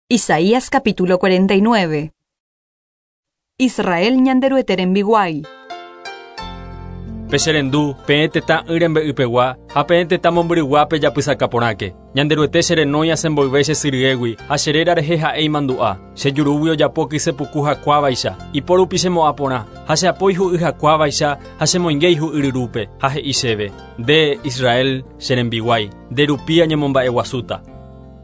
Isaías capítulo 49. Israel Ñanderuete rembiguái. Pecherendu, peẽ tetã y rembe'ypegua, ha peẽ tetã mombyrygua pejapysaka porãke. Ñanderuete cherenói asẽ mboyve che sy ryégui, ha che réra rehe ha'e imandu'a. Che jurúgui ojapo kyse puku hakuávaicha, ipo rupi chemo'ã porã, ha che apo ihu'y hakuávaicha ha chemoinge ihu'y ryrúpe, ha he'i chéve, Nde, Israel, che rembiguái, nde rupi añemomba'eguasúta.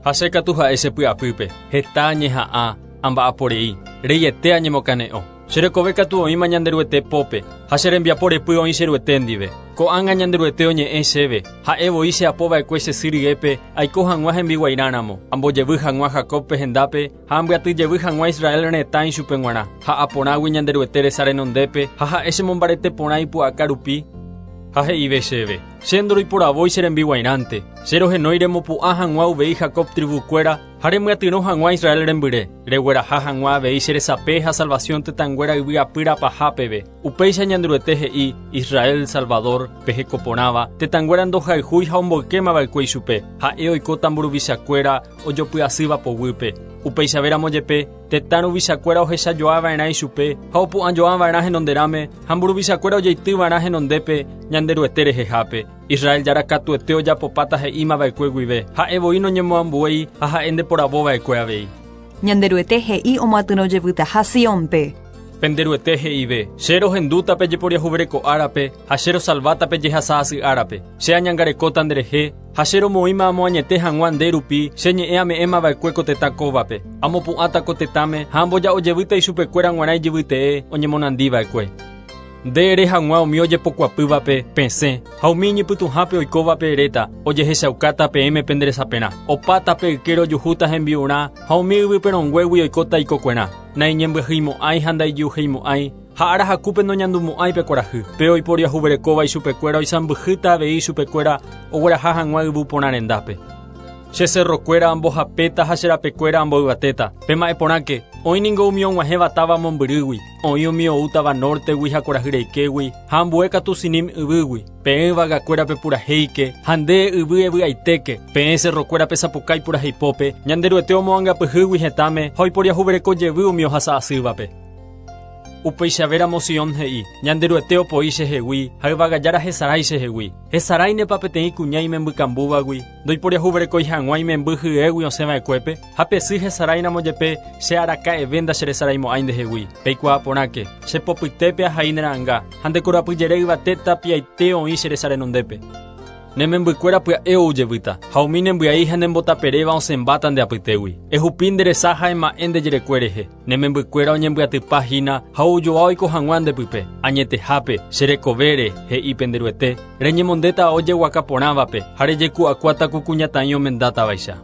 Ha che katu ha'e che py'apýpe, heta añeha'ã, amba'apo rei, reiete añemokane'õ. Che rekove katu oĩma Ñanderuete pópe, ha che rembiapo repy oĩ che Ruete ndive. Ko'ág̃a Ñanderuete oñe'ẽ chéve, ha'e voi che apo va'ekue che sy ryépe aiko hag̃ua hembiguairã ramo, ambojevy hag̃ua Jacóbpe hendápe ha ambyaty jevy hag̃ua Israel retã ichupe g̃uarã. Ha'a porãgui Ñanderuete resa renondépe ha ha'e chemombarete porã ipu'aka rupi, Ha he'ive chéve, Che ndoroiporavói che rembiguairãnte, che rohenói remopu'ã hag̃ua uvei Jacob trivukuéra ha remyatyrõ hag̃ua Israel rembyre, regueraha hag̃ua avei che resape ha salvasiõ tetãnguéra yvy apýra paha peve. Upéicha Ñanderuete he'i, Israel Salvador, pe heko porãva, tetãnguéra ndohayhúi ha omboykémava'ekue ichupe, ha'e oikóta mburuvichakuéra ojopy'asýva poguýpe. Upeichavéramo jepe, Tetã ruvichakuéra ohechajoava'erã ichupe ha opu'ãjoava'erã henonderãme, ha mburuvichakuéra ojeityva'erã henondépe Ñanderuete rehehápe. Israel Jára katuete ojapopáta he'imava'ekue guive, ha'e voi noñemoambuéi ha ha'e ndeporavova'ekue avei. Ñanderuete he'i omyatyrõ jevytaha Siónpe. Pende Ruete he'ive, Che rohendúta pe jeporiahuvereko árape, ha che rosalváta pe jehasa asy árape. Che añangarekóta nderehe, ha che romoĩma amoañete hag̃ua nde rupi che ñe'ẽ ame'ẽma va'ekue ko tetã kóvape. Amopu'ãta ko tetãme ha amboja'o jevýta ichupekuéra g̃uarã ijyvytee oñemonandi va'ekue. Nde ere hag̃ua umi ojepokuapývape, Pesẽ, ha umi iñypytũhápe oikóvape eréta, Ojehechaukáta peẽme pende resaperã. Opa tape ykére ojuhúta hembi'urã ha umi yvy perõnguégui oikóta ikokuerã. Naiñembyahyimo'ãi ha ndaijuheimo'ãi, ha ára hakúpe noñandumo'ãi pe kuarahy. Pe oiporiahuverekóva ichupekuéra oisãmbyhýta avei ichupekuéra ogueraha hag̃ua yvu porã rendápe. Che cerrokuéra ambohapéta ha che rapekuéra amboyvatéta. Pema'ẽ porãke, oĩ ningo umi og̃uahẽva táva mombyrýgui, oĩ umi oútava nórtegui ha kuarahy reikégui, ha ambue katu Sinim yvýgui. Peẽ yvagakuéra pepurahéike, ha nde yvy evy'aitéke, peẽ cerrokuéra pesapukái puraheipópe, Ñanderuete omoangapyhýgui hetãme ha oiporiahuvereko jevy umi ohasa asývape. Upeichavéramo Sion he'i, Ñanderuete opoi chehegui, ha yvagajára hesarái chehegui. Hesaráinepa peteĩ kuña imembykambúvagui, ndoiporiahuverekói hag̃ua imemby hyégui osẽva'ekuépe? Ha pe sy hesaráiramo jepe, che araka'eve ndacheresaraimo'ãi ndehegui. Peikuaa porãke, che popytépe ahai ne ra'ãnga, ha nde korapyjere yvate tapiaite oĩ che resa renondépe. Ne membykuéra pya'e ou jevýta, ha umi nembyai ha nembotaperéva osẽmbáta nde apytégui. Ehupi nde resa ha ema'ẽ nde jerekue rehe. Ne membykuéra oñembyatypa hína ha oujoa oiko hag̃ua nde pype. Añetehápe, che rekovére, he'i pende Ruete, reñemondéta ao jeguaka porãvape ha rejeku'akuáta ku kuñataĩ omendátavaicha.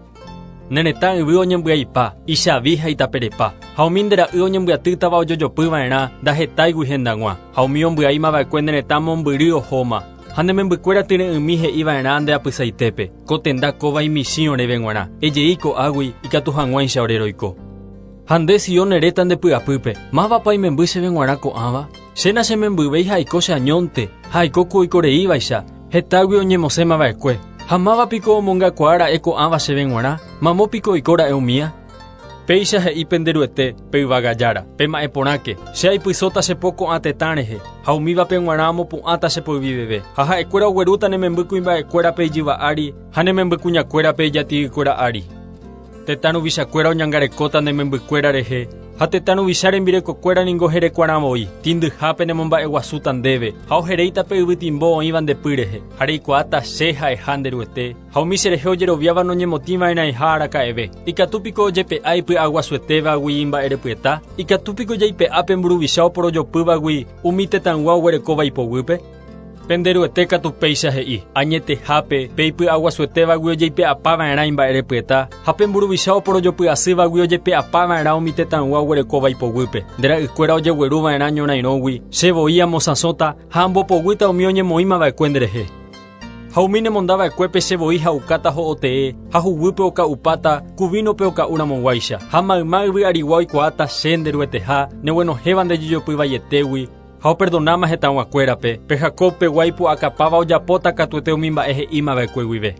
Ne retã yvy oñembyaipa, ichavi ha itaperepa, ha umi nde ra'y oñembyatýtava ojojopy va'erã ndahetáigui hendag̃ua, ha umi ombyaíma va'ekue ne retã mombyry ohóma. Ha ne membykuéra tyre'ỹmi he'i va'erã nde apysaitépe, Ko tenda kóva imichĩ oréve g̃uarã, ejei ko'águi ikatu hag̃uáicha ore roiko. Ha nde Sion eréta nde py'apýpe, Mávapa imemby chéve g̃uarã ko'ãva? Che nachemembyvéi ha aiko che añónte, ha aiko ku oikoreívaicha, hetágui oñemosẽma va'ekue. Ha máva piko omongakuaa ra'e ko'ãva chéve g̃uarã? Mamo piko oiko ra'e umía? Péicha he'i pende Ruete, pe yvága Jára, Pema'ẽ porãke, che aipysóta che po ko'ã tetã rehe, ha umívape g̃uarã amopu'ãta che poyviveve, ha ha'ekuéra oguerúta ne memby kuimba'ekuérape ijyva ári ha ne memby kuñakuérape ijati'ykuéra ári. Tetã ruvichakuéra oñangarekóta ne membykuéra rehe, ha tetã ruvicha rembirekokuéra ningo herekuarã voi, tĩndyhápe nemomba'eguasúta ndéve, ha oheréita pe yvytimbo oĩva nde py rehe, ha reikuaáta Che ha'eha nde Ruete, ha umi cherehe ojeroviáva noñemotĩva'erãiha araka'eve. Ikatu piko ojepe'a ipy'aguasuetévagui imba'erepyeta? Ikatu piko jaipe'a pe mburuvicha oporojopývagui umi tetãygua oguerekóva ipoguýpe? Pende Ruete katu péicha he'i, Añetehápe, pe ipy'aguasuetévagui ojeipe'apava'erã imba'erepyeta, ha pe mburuvicha oporojopy'asývagui ojepe'apava'erã umi tetãygua oguerekóva ipoguýpe. Nde ra'ykuéra ojegueruva'erã ñorãirõgui, che voi amosãsõta ha ambopoguýta umi oñemoĩmava'ekue nderehe. Ha umi nemondava'ekuépe che voi ha'ukáta ho'otee, ha huguýpe oka'upáta, ku vínope oka'uramoguáicha. Ha mayma yvy arigua oikuaáta che, nde Rueteha, neguenohẽva nde jejopy vaietégui, Ha operdonáma hetãguakuérape, pe Jacob pegua ipu'akapáva ojapóta katuete umi mba'e he'ímava'ekue guive.